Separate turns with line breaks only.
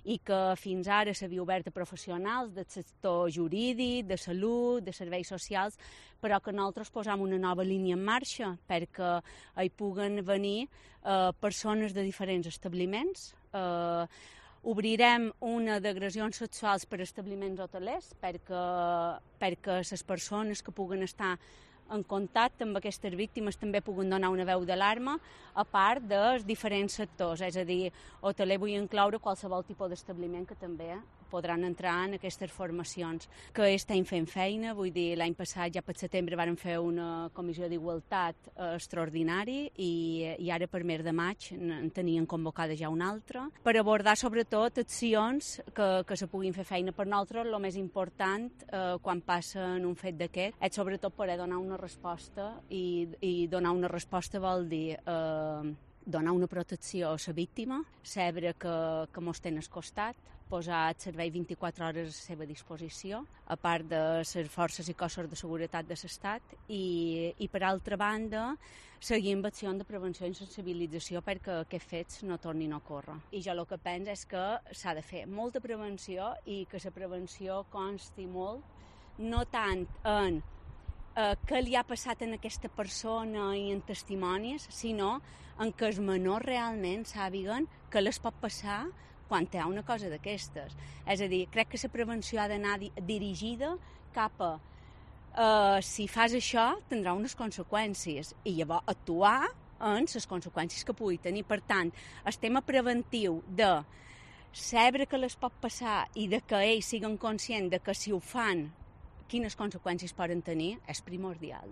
i que fins ara s'havia obert a professionals del sector jurídic, de salut, de serveis socials, però que nosaltres posam una nova línia en marxa perquè hi puguen venir persones de diferents establiments. Obrirem una d'agressions sexuals per establiments hotelers perquè les persones que puguen estar en contacte amb aquestes víctimes també puguen donar una veu d'alarma, a part dels diferents sectors, és a dir, hoteler vull incloure qualsevol tipus d'establiment que també podran entrar en aquestes formacions. Que estem fent feina, vull dir, l'any passat ja per setembre vàrem fer una comissió d'igualtat extraordinari i ara per mes de maig en tenien convocada ja una altra, per abordar sobretot accions que se puguin fer feina. Per nosaltres el més important quan passa en un fet d'aquest és sobretot poder donar una resposta i donar una resposta vol dir donar una protecció a la víctima, saber que mos tenen al costat, posar el servei 24 hores a la seva disposició, a part de les forces i cossos de seguretat de l'Estat, i per altra banda seguir amb accions de prevenció i sensibilització perquè aquests fets no tornin a ocórrer. I jo el que penso és que s'ha de fer molta prevenció i que la prevenció consti molt, no tant en què li ha passat a aquesta persona i en testimonis, sinó en què els menors realment sàpiguen que les pot passar quan hi ha una cosa d'aquestes. És a dir, crec que la prevenció ha d'anar dirigida cap a si fas això tindrà unes conseqüències i llavors actuar en les conseqüències que pugui tenir. Per tant, el tema preventiu de saber que les pot passar i de que ells siguin conscients de que si ho fan quines conseqüències poden tenir és primordial.